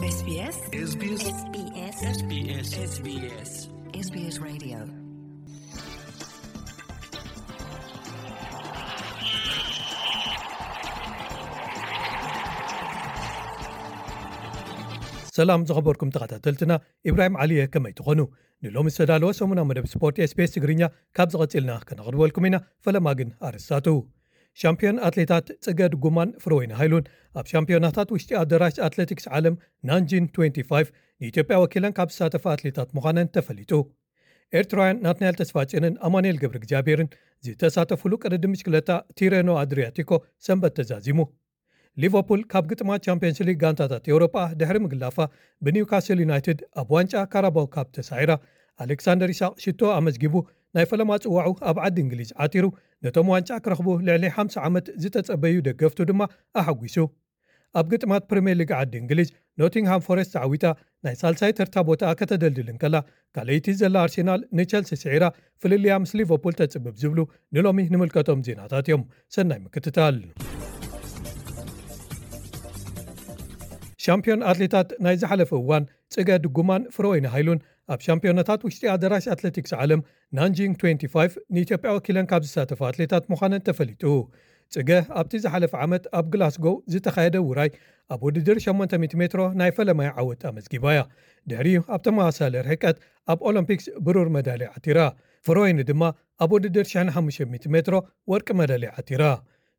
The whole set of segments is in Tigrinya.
SBS SBS SBS SBS SBS Radio. ሰላም ዝኸበርኩም ተኸታተልትና፣ ኢብራሂም ዓሊ እየ። ከመይ ትኾኑ? ንሎሚ ዝተዳለወ ሰሙና መደብ ስፖርት SBS ትግርኛ ካብ ዝቐጽልና ከነቕርበልኩም ኢና። ፈለማ ግን ኣርእስታቱ። ሻምፒዮን ኣትሌታት ጽገ ድጉማን ፍረወይኒ ሃይሉን ኣብ ሻምፒዮናታት ውሽጢ ኣደራሽ ኣትሌቲክስ ዓለም ናንጂን ትዌንቲ ፋይቭ ንኢትዮጵያ ወኪለን ካብ ዝሳተፋ ኣትሌታት ምዃነን ተፈሊጡ። ኤርትራውያን ናትናኤል ተስፋጽዮንን ኣማኑኤል ገብረ እግዚኣብሔርን ዝተሳተፉሉ ቅድድም ብሽክለታ ቲሬኖ ኣድሪያቲኮ ሰንበት ተዛዚሙ። ሊቨርፑል ካብ ግጥማት ቻምፒየንስ ሊግ ጋንታታት ኤውሮጳ ድሕሪ ምግላፋ ብኒውካስል ዩናይትድ ኣብ ዋንጫ ካራባው ካፕ ተሳዒራ። ኣሌክሳንደር ኢሳቕ ሽቶ ኣመዝጊቡ ናይ ፈለማ ጽዋዑ ኣብ ዓዲ እንግሊዝ ዓቲሩ። ነቶም ዋንጫ ክረኽቡ ልዕሊ ሓምሳ ዓመት ዝተጸበዩ ደገፍቱ ድማ ኣሐጒሱ። ኣብ ግጥማት ፕሪምየር ሊግ ዓዲ እንግሊዝ ኖቲንግሃም ፎረስት ተዓዊታ ናይ ሳልሳይ ተርታ ቦታኣ ከተደልድል እንከላ፣ ካልኣይቲ ዘላ ኣርሴናል ንቸልሲ ስዒራ ፍልልያ ምስ ሊቨርፑል ተጽብብ ዝብሉ ንሎሚ ንምልከቶም ዜናታት እዮም። ሰናይ ምክትታል። ሻምፒዮን ኣትሌታት ናይ ዝሓለፈ እዋን ጽገ ድጉማን ፍረወይኒ ሃይሉን ኣብ ሻምፒዮናታት ውሽጢ ኣደራሽ ኣትሌቲክስ ዓለም ናንጂንግ ትዌንቲ ፋይቭ ንኢትዮጵያ ወኪለን ካብ ዝሳተፋ ኣትሌታት ምዃነን ተፈሊጡ። ጽገ ኣብቲ ዝሓለፈ ዓመት ኣብ ግላስጎው ዝተኻየደ ውራይ ኣብ ውድድር ሸሞንተ ሚእቲ ሜትሮ ናይ ፈለማይ ዓወት ኣመዝጊባ እያ። ድሕሪኡ ኣብ ተመሳሳሊ ርሕቀት ኣብ ኦሎምፒክስ ብሩር መዳልያ ዓቲራ። ፍረወይኒ ድማ ኣብ ውድድር ሽሕን ሓሙሽተ ሚእቲ ሜትሮ ወርቂ መዳልያ ዓቲራ።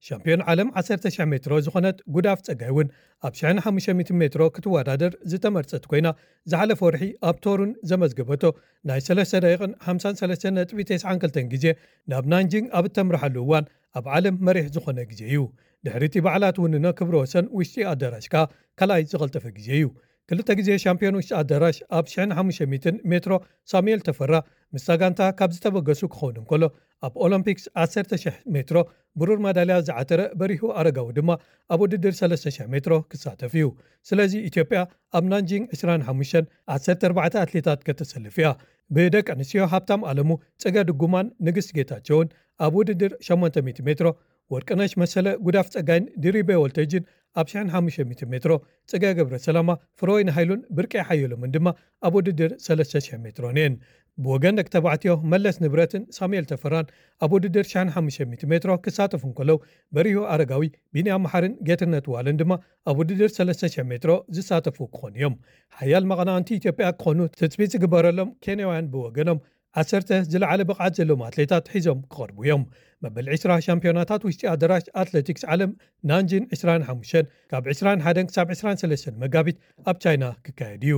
ሻምፒዮን ዓለም ዓሰርተ ሽሕ ሜትሮ ዝኾነት ጉዳፍ ጸጋይ እውን ኣብ ሽሕን ሓሙሽተ ሚእቲ ሜትሮ ክትወዳደር ዝተመርጸት ኮይና፣ ዝሓለፈ ወርሒ ኣብ ቶሩን ዘመዝገበቶ ናይ ሰለስተ ደቂቕን ሓምሳን ሰለስተን ነጥቢ ተስዓን ክልተን ግዜ ናብ ናንጂንግ ኣብ እተምርሓሉ እዋን ኣብ ዓለም መሪሕ ዝኾነ ግዜ እዩ። ድሕሪ እቲ ባዕላ ትውንኖ ክብረ ወሰን ውሽጢ ኣዳራሽ ከኣ ካልኣይ ዝቐልጠፈ ግዜ እዩ። ክልተ ግዜ ሻምፒዮን ውሽጢ ኣዳራሽ ኣብ ሽሕን ሓሙሽተ ሚእትን ሜትሮ ሳሙኤል ተፈራ ምስታ ጋንታ ካብ ዝተበገሱ ክኸውን እንከሎ፣ ኣብ ኦሎምፒክስ ዓሰርተ ሽሕ ሜትሮ ብሩር መዳልያ ዝዓተረ በሪሁ ኣረጋዊ ድማ ኣብ ውድድር ሰለስተ ሽሕ ሜትሮ ክሳተፍ እዩ። ስለዚ ኢትዮጵያ ኣብ ናንጂንግ ዕስራን ሓሙሽተን ዓሰርተ ኣርባዕተ ኣትሌታት ከተሰልፍ እያ። ብደቂ ኣንስትዮ ሃብታም ኣለሙ፣ ጽገ ድጉማን ንግስቲ ጌታቸውን ኣብ ውድድር ሸሞንተ ሚእቲ ሜትሮ፣ ወርቅነሽ መሰለ፣ ጉዳፍ ጸጋይን ድሪቤ ወልተጅን ኣብ ሽሕን ሓሙሽተ ሚእቲ ሜትሮ፣ ጽገ ገብረ ሰላማ፣ ፍረወይኒ ሃይሉን ብርቄ ሓየሎምን ድማ ኣብ ውድድር ሰለስተ ሽሕ ሜትሮን እየን። ብወገን ደቂ ተባዕትዮ መለስ ንብረትን ሳሙኤል ተፈራን ኣብ ውድድር ሽሕን ሓሙሽተ ሚእቲ ሜትሮ ክሳተፉ እንከለዉ፣ በሪሁ ኣረጋዊ፣ ቢንያም መሓርን ጌትነት ዋለን ድማ ኣብ ውድድር ሰለስተ ሽሕ ሜትሮ ዝሳተፉ ክኾኑ እዮም። ሓያል መቐናቕንቲ ኢትዮጵያ ክኾኑ ትጽቢት ዝግበረሎም ኬንያውያን ብወገኖም ዓሰርተ ዝለዓለ ብቕዓት ዘለዎም ኣትሌታት ሒዞም ክቐርቡ እዮም። መበል ዕስራ ሻምፒዮናታት ውሽጢ ኣደራሽ ኣትሌቲክስ ዓለም ናንጂን ዕስራን ሓሙሽተን ካብ ዕስራን ሓደን ክሳብ ዕስራን ሰለስተን መጋቢት ኣብ ቻይና ክካየድ እዩ።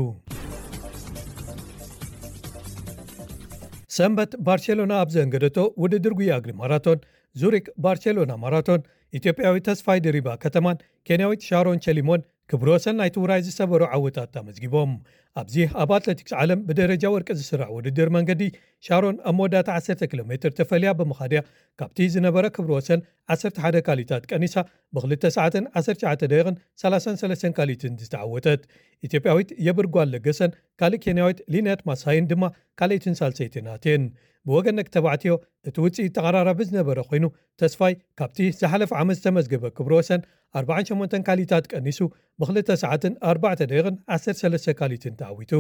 ሰንበት ባርሴሎና ኣብ ዘንገደቶ ውድድር ጉያ እግሪ ማራቶን ዙሪክ ባርሴሎና ማራቶን ኢትዮጵያዊ ተስፋይ ድሪባ ከተማን ኬንያዊት ሻሮን ቸሊሞን ክብረ ወሰን ናይቲ ውራይ ዝሰበሩ ዓወታት ኣመዝጊቦም። ኣብዚ ኣብ ኣትሌቲክስ ዓለም ብደረጃ ወርቂ ዝስራዕ ውድድር መንገዲ ሻሮን ኣብ መወዳእታ ዓሰርተ ኪሎ ሜትር ተፈልያ ብምኻድያ ካብቲ ዝነበረ ክብረ ወሰን ዓሰርተ ሓደ ካሊታት ቀኒሳ ብክልተ ሰዓትን ዓሰርተ ትሽዓተ ደቂቕን ሰላሳን ሰለስተን ካሊትን ዝተዓወተት። ኢትዮጵያዊት የብር ጓል ለገሰን ካልእ ኬንያዊት ሊነት ማሳይን ድማ ካልኣይትን ሳልሰይትን ኣትየን። ብወገን ደቂ ተባዕትዮ እቲ ውፅኢት ተቐራራቢ ዝነበረ ኮይኑ ተስፋይ ካብቲ ዝሓለፈ ዓመት ዝተመዝገበ ክብረ ወሰን ኣርባዓን ሸሞንተን ካሊታት ቀኒሱ ብክልተ ሰዓትን ኣርባዕተ ደቂቕን ዓሰርተ ሰለስተ ካሊትን ተዓዊቱ።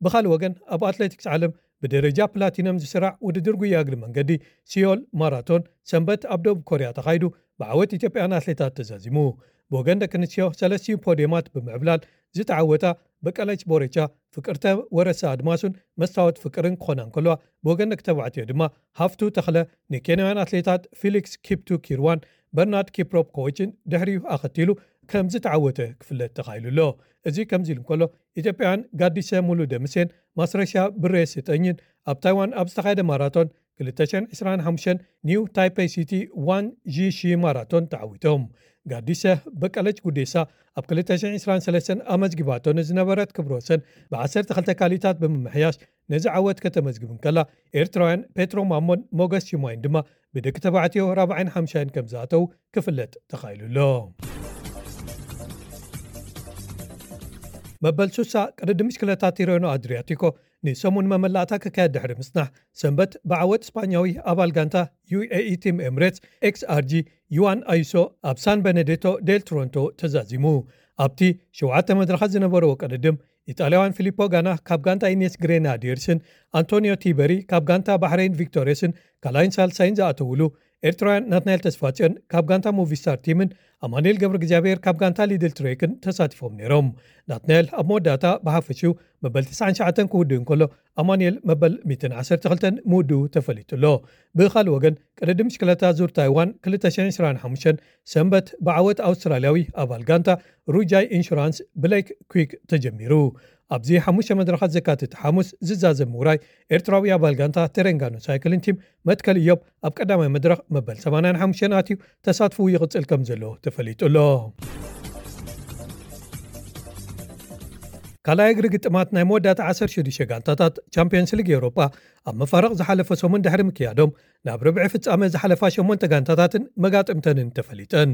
ብኻልእ ወገን ኣብ ኣትሌቲክስ ዓለም ብደረጃ ፕላቲነም ዝስራዕ ውድድር ጉያ እግሪ መንገዲ ሲዮል ማራቶን ሰንበት ኣብ ደቡብ ኮርያ ተኻይዱ ብዓወት ኢትዮጵያን ኣትሌታት ተዛዚሙ። ብወገን ደቂ ኣንስትዮ ሰለስቲኡ ፖድየማት ብምዕብላል ዝተዓወታ በቀለች ቦሬቻ፣ ፍቅርተ ወረሳ ኣድማሱን መስታወት ፍቅርን ክኾና እንከለዋ፣ ብወገን ደቂ ተባዕትዮ ድማ ሃፍቱ ተኽለ ንኬንያውያን ኣትሌታት ፊሊክስ ኪፕቱ ኪርዋን በርናርድ ኪፕሮፕ ኮዎችን ድሕሪኡ ኣኸቲሉ ከም ዝተዓወተ ክፍለጥ ተኻኢሉ ኣሎ። እዚ ከምዚ ኢሉ እንከሎ፣ ኢትዮጵያውያን ጋዲሰ ሙሉ ደምሴን ማስረሻ ብሬ ስጠኝን ኣብ ታይዋን ኣብ ዝተኻየደ ማራቶን ክልተ ሽሕን ዕስራን ሓሙሽተን ኒው ታይፔይ ሲቲ ዋን ዢ ሺ ማራቶን ተዓዊቶም። ጋዲሰ በቀለች ጉዴሳ ኣብ ክልተ ሽሕን ዕስራን ሰለስተን ኣመዝጊባቶ ንዝነበረት ክብረ ወሰን ብዓሰርተ ክልተ ካሊታት ብምምሕያሽ ነዚ ዓወት ከተመዝግብ እንከላ፣ ኤርትራውያን ፔትሮ ማሞን ሞገስ ሽማይን ድማ ብደቂ ተባዕትዮ ራብዓይን ሓምሻይን ከም ዝኣተዉ ክፍለጥ ተኻኢሉ ኣሎ። መበል ሱሳ ቅድድም ብሽክለታ ቲሬኖ ኣድሪያቲኮ ንሰሙን መመላእታ ክካየድ ድሕሪ ምጽናሕ፣ ሰንበት ብዓወት ስፓኛዊ ኣባል ጋንታ ዩ ኤ ኢ ቲም ኤምሬትስ ኤክስ ኣር ጂ ዩዋን ኣዩሶ ኣብ ሳን ቤኔዴቶ ዴል ትሮንቶ ተዛዚሙ። ኣብቲ ሸውዓተ መድረኻት ዝነበረዎ ቅድድም፣ ኢጣልያውያን ፊሊፖ ጋና ካብ ጋንታ ኢኔስ ግሬናዲየርስን ኣንቶኒዮ ቲበሪ ካብ ጋንታ ባሕረይን ቪክቶሪየስን ካልኣይን ሳልሳይን ዝኣተውሉ፣ ኤርትራውያን ናትናኤል ተስፋጽዮን ካብ ጋንታ ሙቪስታር ቲምን ኣማኑኤል ገብረ እግዚኣብሔር ካብ ጋንታ ሊድል ትሬክን ተሳቲፎም ነይሮም። ናትናኤል ኣብ መወዳእታ ብሓፈሽኡ መበል ትስዓን ትሽዓተን ክውድእ እንከሎ፣ ኣማኑኤል መበል ሚእትን ዓሰርተ ክልተን ምውድኡ ተፈሊጡ ኣሎ። ብኻልእ ወገን፣ ቅድድም ብሽክለታ ዙር ታይዋን ክልተ ሽሕን ዕስራን ሓሙሽተን ሰንበት ብዓወት ኣውስትራልያዊ ኣባል ጋንታ ሩጃይ ኢንሹራንስ ብሌክ ኩክ ተጀሚሩ። ኣብዚ ሓሙሽተ መድረኻት ዘካትት ሓሙስ ዝዛዘም ምውራይ ኤርትራዊ ኣባል ጋንታ ተረንጋኖ ሳይክልን ቲም መትከል እዮብ ኣብ ቀዳማይ መድረኽ መበል ሰማንያን ሓሙሽተን ኣትዩ ተሳትፎኡ ይቕጽል ከም ዘሎ ተፈሊጡ ኣሎ። ካልኣይ እግሪ ግጥማት ናይ መወዳእታ ዓሰርተ ሽዱሽተ ጋንታታት ቻምፒየንስ ሊግ ኤውሮጳ ኣብ መፋረቕ ዝሓለፈ ሰሙን ድሕሪ ምክያዶም፣ ናብ ርብዒ ፍጻመ ዝሓለፋ ሸሞንተ ጋንታታትን መጋጥምተንን ተፈሊጠን።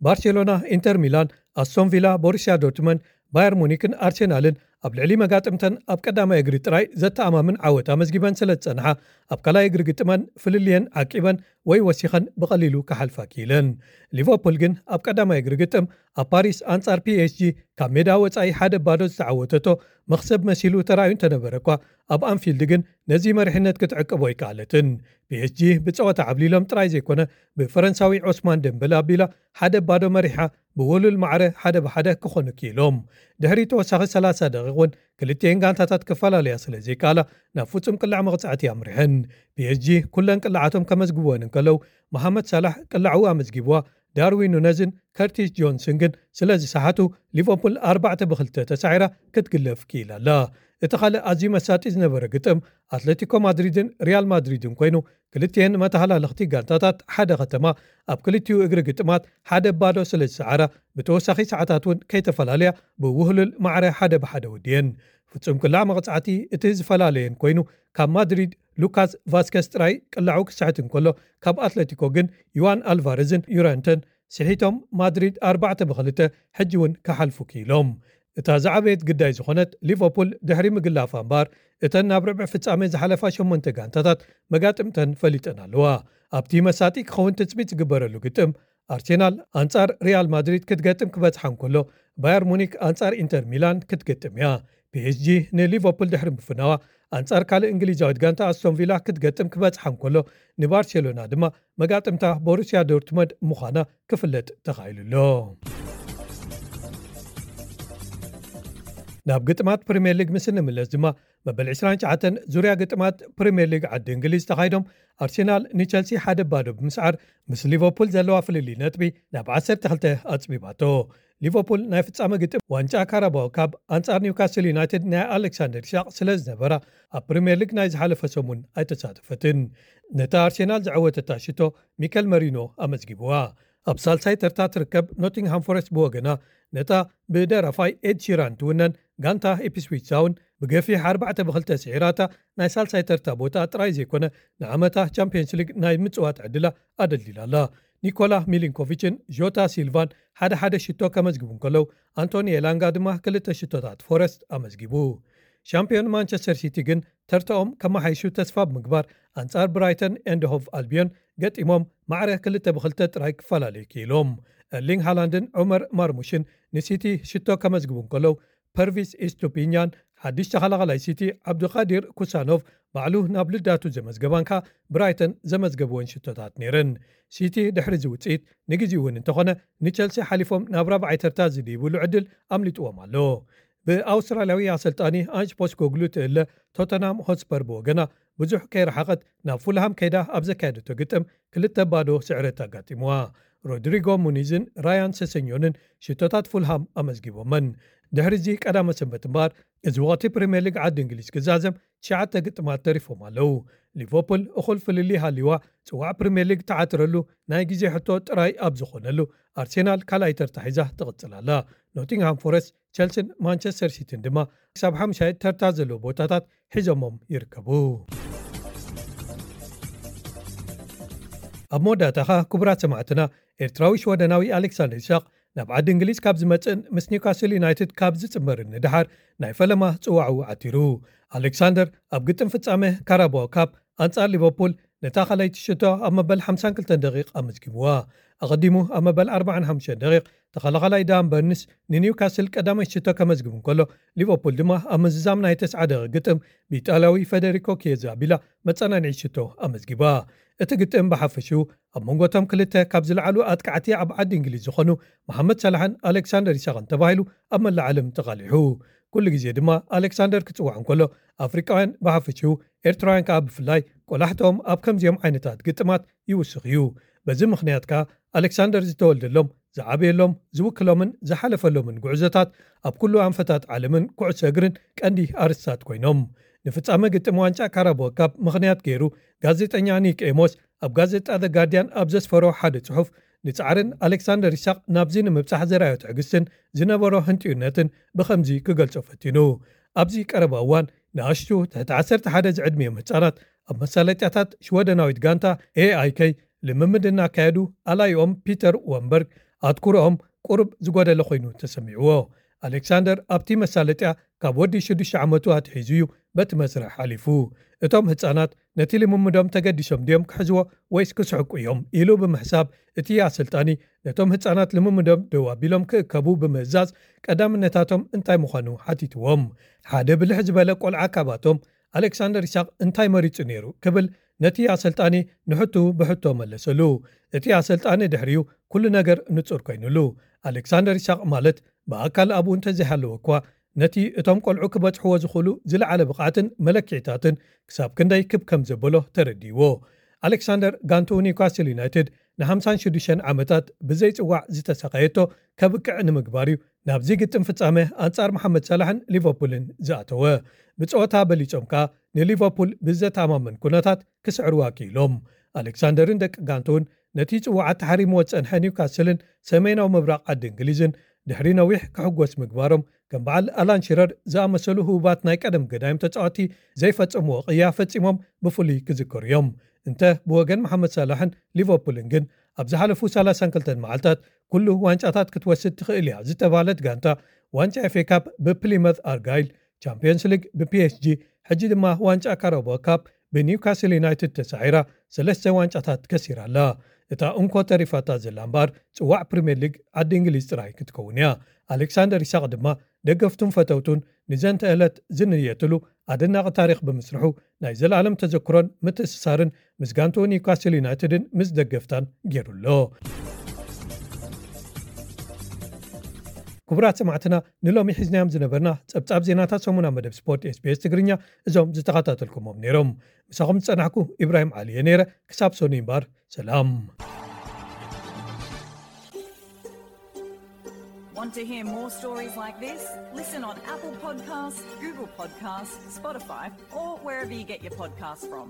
ባርሴሎና፣ ኢንተር ሚላን፣ ኣስቶን ቪላ፣ ቦሩሲያ ዶርትመንድ፣ ባየር ሙኒክን ኣርሴናልን ኣብ ልዕሊ መጋጥምተን ኣብ ቀዳማይ እግሪ ጥራይ ዘተኣማምን ዓወት ኣመዝጊበን ስለ ዝጸንሓ፣ ኣብ ካልኣይ እግሪ ግጥመን ፍልልየን ዓቂበን ወይ ወሲኸን ብቐሊሉ ክሓልፋ ክኢለን። ሊቨርፑል ግን ኣብ ቀዳማይ እግሪ ግጥም ኣብ ፓሪስ ኣንጻር ፒ ኤስ ጂ ካብ ሜዳ ወጻኢ ሓደ ባዶ ዝተዓወተቶ መኽሰብ መሲሉ ተራእዩ እንተነበረ እኳ፣ ኣብ ኣንፊልድ ግን ነዚ መሪሕነት ክትዕቅቦ ኣይከኣለትን። ፒ ኤስ ጂ ብጸወታ ዓብሊሎም ጥራይ ዘይኮነ፣ ብፈረንሳዊ ዖስማን ደምበል ኣቢላ ሓደ ባዶ መሪሓ ብውህሉል ማዕረ ሓደ ብሓደ ክኾኑ ክኢሎም። ድሕሪ ተወሳኺ ሰላሳ ደቂቕ እውን ክልቲኤን ጋንታታት ክፈላለያ ስለ ዘይከኣላ፣ ናብ ፍጹም ቅላዕ መቕጻዕቲ ኣምሪሐን። ፒ ኤስ ጂ ኩለን ቅላዓቶም ከመዝግብወን እንከለዉ፣ መሓመድ ሳላሕ ቅላዕኡ ኣመዝጊብዋ፣ ዳርዊን ኑነዝን ከርቲስ ጆንስን ግን ስለ ዝሰሓቱ፣ ሊቨርፑል ኣርባዕተ ብክልተ ተሳዒራ ክትግለፍ ክኢላ ኣላ። እቲ ካልእ ኣዝዩ መሳጢ ዝነበረ ግጥም ኣትለቲኮ ማድሪድን ሪያል ማድሪድን ኮይኑ፣ ክልቲኤን መተሃላለኽቲ ጋንታታት ሓደ ከተማ ኣብ ክልቲኡ እግሪ ግጥማት ሓደ ባዶ ስለ ዝሰዓራ፣ ብተወሳኺ ሰዓታት እውን ከይተፈላለያ ብውህሉል ማዕረ ሓደ ብሓደ ወድየን። ፍጹም ቅላዕ መቕጻዕቲ እቲ ዝፈላለየን ኮይኑ፣ ካብ ማድሪድ ሉካስ ቫስከስ ጥራይ ቅላዑ ክስሕት እንከሎ፣ ካብ ኣትለቲኮ ግን ዩዋን ኣልቫረዝን ዩረንተን ስሒቶም ማድሪድ ኣርባዕተ ብክልተ ሕጂ እውን ክሓልፉ ክኢሎም። እታ ዝዓበየት ግዳይ ዝኾነት ሊቨርፑል ድሕሪ ምግላፋ እምበኣር፣ እተን ናብ ርብዒ ፍጻመ ዝሓለፋ ሸሞንተ ጋንታታት መጋጥምተን ፈሊጠን ኣለዋ። ኣብቲ መሳጢ ክኸውን ትጽቢት ዝግበረሉ ግጥም፣ ኣርሴናል ኣንጻር ሪያል ማድሪድ ክትገጥም ክበጽሓ እንከሎ፣ ባየር ሙኒክ ኣንጻር ኢንተር ሚላን ክትገጥም እያ። ፒ ኤስ ጂ ንሊቨርፑል ድሕሪ ምፍናዋ፣ ኣንጻር ካልእ እንግሊዛዊት ጋንታ ኣስቶን ቪላ ክትገጥም ክበጽሓ እንከሎ፣ ንባርሴሎና ድማ መጋጥምታ ቦሩሲያ ዶርትመንድ ምዃና ክፍለጥ ተኻኢሉ ኣሎ። ናብ ግጥማት ፕሪምየር ሊግ ምስ እንምለስ ድማ፣ መበል ዕስራን ትሽዓተን ዙርያ ግጥማት ፕሪምየር ሊግ ዓዲ እንግሊዝ ተኻይዶም፣ ኣርሴናል ንቸልሲ ሓደ ባዶ ብምስዓር፣ ምስ ሊቨርፑል ዘለዋ ፍልልይ ነጥቢ ናብ ዓሰርተ ክልተ ኣጽቢባቶ። ሊቨርፑል ናይ ፍጻመ ግጥም ዋንጫ ካራባኦ ካፕ ኣንጻር ኒውካስል ዩናይትድ ናይ ኣሌክሳንደር ኢሳቕ ስለ ዝነበራ፣ ኣብ ፕሪምየር ሊግ ናይ ዝሓለፈ ሰሙን ኣይተሳተፈትን። ነታ ኣርሴናል ዘዐወተታ ሽቶ ሚከል መሪኖ ኣመዝጊብዋ። ኣብ ሳልሳይ ተርታ ትርከብ ኖቲንግሃም ፎረስት ብወገና፣ ነታ ብደራፋይ ኤድ ሺራን ትውነን ጋንታ ኢፕስዊች ታውን ብገፊሕ ኣርባዕተ ብክልተ ስዒራታ፣ ናይ ሳልሳይ ተርታ ቦታ ጥራይ ዘይኮነ፣ ንዓመታ ቻምፒየንስ ሊግ ናይ ምጽዋት ዕድላ ኣደልዲላ ኣላ። ኒኮላ ሚሊንኮቪችን ዦታ ሲልቫን ሓደ ሓደ ሽቶ ከመዝግቡ እንከለዉ፣ ኣንቶኒ ኤላንጋ ድማ ክልተ ሽቶታት ፎረስት ኣመዝጊቡ። ሻምፒዮን ማንቸስተር ሲቲ ግን ተርታኦም ከመሓይሹ ተስፋ ብምግባር፣ ኣንጻር ብራይተን ኤንድ ሆቭ ኣልቢዮን ገጢሞም ማዕረ ክልተ ብክልተ ጥራይ ክፈላለዩ ክኢሎም። ኤርሊንግ ሃላንድን ዑመር ማርሙሽን ንሲቲ ሽቶ ከመዝግቡ እንከለዉ፣ ፐርቪስ ኢስቱፒኛን ሓድሽ ተኸላኸላይ ሲቲ ዓብዱቃዲር ኩሳኖቭ ባዕሉ ናብ ልዳቱ ዘመዝገባን ከኣ ብራይተን ዘመዝገብወን ሽቶታት ነይረን። ሲቲ ድሕሪ እዚ ውጽኢት ንግዜኡ እውን እንተኾነ ንቸልሲ ሓሊፎም ናብ ራብዓይ ተርታ ዝድይብሉ ዕድል ኣምሊጥዎም ኣሎ። ብኣውስትራልያዊ ኣሰልጣኒ ኣንጅ ፖስኮግሉ ትእለ ቶተንሃም ሆትስፐር ብወገና ብዙሕ ከይረሓቐት ናብ ፉልሃም ከይዳ ኣብ ዘካየደቶ ግጥም ክልተ ባዶ ስዕረት ኣጋጢምዋ። ሮድሪጎ ሙኒዝን ራያን ሰሰኞንን ሽቶታት ፉልሃም ኣመዝጊቦመን። ድሕሪ እዚ ቀዳመ ሰንበት እምበኣር፣ እዚ ወቕቲ ፕሪምየር ሊግ ዓዲ እንግሊዝ ክዛዘም ትሽዓተ ግጥማት ተሪፎም ኣለዉ። ሊቨርፑል እኹል ፍልልይ ሃልይዋ ጽዋዕ ፕሪምየር ሊግ ትዓትረሉ ናይ ግዜ ሕቶ ጥራይ ኣብ ዝኾነሉ፣ ኣርሴናል ካልኣይ ተርታ ሒዛ ትቕጽል ኣላ። ኖቲንግሃም ፎረስት፣ ቸልሲን ማንቸስተር ሲቲን ድማ ክሳብ ሓምሻይ ተርታ ዘለዎ ቦታታት ሒዞሞም ይርከቡ። ኣብ መወዳእታ ኸኣ፣ ክቡራት ሰማዕትና፣ ኤርትራዊ ሽወደናዊ ኣሌክሳንደር ኢሳቕ ናብ ዓዲ እንግሊዝ ካብ ዝመጽእን ምስ ኒውካስል ዩናይትድ ካብ ዝጽንበርን ንደሓር፣ ናይ ፈለማ ጽዋዕኡ ዓቲሩ። ኣሌክሳንደር ኣብ ግጥም ፍጻመ ካራባኦ ካፕ ኣንጻር ሊቨርፑል ነታ ካልኣይቲ ሽቶ ኣብ መበል ሓምሳን ክልተን ደቂቕ ኣመዝጊብዋ። ኣቐዲሙ ኣብ መበል ኣርባዓን ሓሙሽተን ደቂቕ ተኸላኻላይ ዳን በርንስ ንኒውካስል ቀዳማይ ሽቶ ከመዝግብ እንከሎ፣ ሊቨርፑል ድማ ኣብ ምዝዛም ናይ ተስዓ ደቂቕ ግጥም ብኢጣልያዊ ፈደሪኮ ኪየዛ ኣቢላ መጸናንዒ ሽቶ ኣመዝጊባ። እቲ ግጥም ብሓፈሽኡ ኣብ መንጎ እቶም ክልተ ካብ ዝለዓሉ ኣጥቃዕቲ ኣብ ዓዲ እንግሊዝ ዝኾኑ መሓመድ ሰላሕን ኣሌክሳንደር ኢሳቕን ተባሂሉ ኣብ መላእ ዓለም ተቓሊሑ። ኩሉ ግዜ ድማ ኣሌክሳንደር ክጽዋዕ እንከሎ፣ ኣፍሪቃውያን ብሓፈሽኡ፣ ኤርትራውያን ከኣ ብፍላይ፣ ቆላሕትኦም ኣብ ከምዚኦም ዓይነታት ግጥማት ይውስኽ እዩ። በዚ ምኽንያት ከኣ ኣሌክሳንደር ዝተወልደሎም፣ ዝዓበየሎም፣ ዝውክሎምን ዝሓለፈሎምን ጉዕዞታት ኣብ ኩሉ ኣንፈታት ዓለምን ኩዕሶ እግርን ቀንዲ ኣርእስታት ኮይኖም። ንፍጻመ ግጥም ዋንጫ ካራባኦ ካፕ ምኽንያት ገይሩ፣ ጋዜጠኛ ኒክ ኤሞስ ኣብ ጋዜጣ ዘ ጋርዲያን ኣብ ዘስፈሮ ሓደ ጽሑፍ፣ ንጻዕርን ኣሌክሳንደር ኢሳቕ ናብዚ ንምብጻሕ ዘርኣዮ ትዕግስትን ዝነበሮ ህንጥዩነትን ብኸምዚ ክገልጾ ፈቲኑ። ኣብዚ ቀረባ እዋን ንኣሽቱ ትሕቲ ዓሰርተ ሓደ ዝዕድሚኦም ህጻናት ኣብ መሳለጥያታት ሽወደናዊት ጋንታ ኤኣይከይ ልምምድ እናካየዱ፣ ኣላይኦም ፒተር ወንበርግ ኣትኩሮኦም ቁሩብ ዝጎደለ ኮይኑ ተሰሚዕዎ። ኣሌክሳንደር ኣብቲ መሳለጥያ ካብ ወዲ ሽዱሽተ ዓመቱ ኣትሒዙ እዩ በቲ መስርሕ ሓሊፉ። እቶም ህጻናት ነቲ ልምምዶም ተገዲሶም ድዮም ክሕዝዎ ወይስ ክስሕቁ እዮም ኢሉ ብምሕሳብ፣ እቲ ኣሰልጣኒ ነቶም ህጻናት ልምምዶም ደው ኣቢሎም ክእከቡ ብምእዛዝ፣ ቀዳምነታቶም እንታይ ምዃኑ ሓቲትዎም። ሓደ ብልሕ ዝበለ ቆልዓ ካባቶም፣ ኣሌክሳንደር ኢሳቕ እንታይ መሪጹ ነይሩ ክብል ነቲ ኣሰልጣኒ ንሕቱ ብሕቶ መለሰሉ። እቲ ኣሰልጣኒ ድሕሪኡ ኩሉ ነገር ንጹር ኮይኑሉ። ኣሌክሳንደር ኢሳቕ ማለት ብኣካል ኣብኡ እንተዘይሃለወ እኳ፣ ነቲ እቶም ቆልዑ ክበጽሕዎ ዝኽእሉ ዝለዓለ ብቕዓትን መለክዒታትን ክሳብ ክንደይ ክብ ከም ዘበሎ ተረዲእዎ። ኣሌክሳንደር ጋንትኡ ኒውካስል ዩናይትድ ንሓምሳን ሽዱሽተን ዓመታት ብዘይጽዋዕ ዝተሰቐየቶ ከብቅዕ ንምግባር እዩ ናብዚ ግጥም ፍጻመ ኣንጻር መሓመድ ሳላሕን ሊቨርፑልን ዝኣተወ። ብጸወታ በሊጾም ከኣ ንሊቨርፑል ብዘተኣማምን ኩነታት ክስዕርዋ ክኢሎም። ኣሌክሳንደርን ደቂ ጋንትኡን ነቲ ጽዋዓት ተሓሪምዎ ዝጸንሐ ኒውካስልን ሰሜናዊ ምብራቕ ዓዲ እንግሊዝን ድሕሪ ነዊሕ ክሕጎስ ምግባሮም፣ ከም በዓል ኣላን ሽረር ዝኣመሰሉ ህቡባት ናይ ቀደም ገዳይም ተጻወቲ ዘይፈጸምዎ ቅያ ፈጺሞም ብፍሉይ ክዝከሩ እዮም። እንተ ብወገን መሓመድ ሳላሕን ሊቨርፑልን ግን፣ ኣብ ዝሓለፉ ሰላሳን ክልተን መዓልታት ኩሉ ዋንጫታት ክትወስድ ትኽእል እያ ዝተባህለት ጋንታ፣ ዋንጫ ኤፍ ኤ ካፕ ብፕሊመት ኣርጋይል፣ ቻምፒየንስ ሊግ ብፒኤስጂ፣ ሕጂ ድማ ዋንጫ ካራባኦ ካፕ ብኒውካስል ዩናይትድ ተሳዒራ፣ ሰለስተ ዋንጫታት ከሲራ ኣላ። እታ እንኮ ተሪፋታ ዘላ እምበኣር፣ ጽዋዕ ፕሪምየር ሊግ ዓዲ እንግሊዝ ጥራይ ክትከውን እያ። ኣሌክሳንደር ኢሳቕ ድማ፣ ደገፍቱን ፈተውቱን ንዘንተ ዕለት ዝንየትሉ ኣደናቒ ታሪኽ ብምስርሑ፣ ናይ ዘለኣለም ተዘክሮን ምትእስሳርን ምስ ጋንትኡ ኒውካስል ዩናይትድን ምስ ደገፍታን ገይሩ ኣሎ። ክቡራት ሰማዕትና፣ ንሎሚ ሒዝናዮም ዝነበርና ጸብጻብ ዜናታት ሰሙና መደብ ስፖርት ኤስቢኤስ ትግርኛ እዞም ዝተኸታተልኩሞም ነይሮም። ምሳኹም ዝጸናሕኩ ኢብራሂም ዓሊ እየ ነይረ። ክሳብ ሰኑይ እምበኣር፣ ሰላም። Want to hear more stories like this? Listen on Apple Podcasts, Google Podcasts, Spotify, or wherever you get your podcasts from.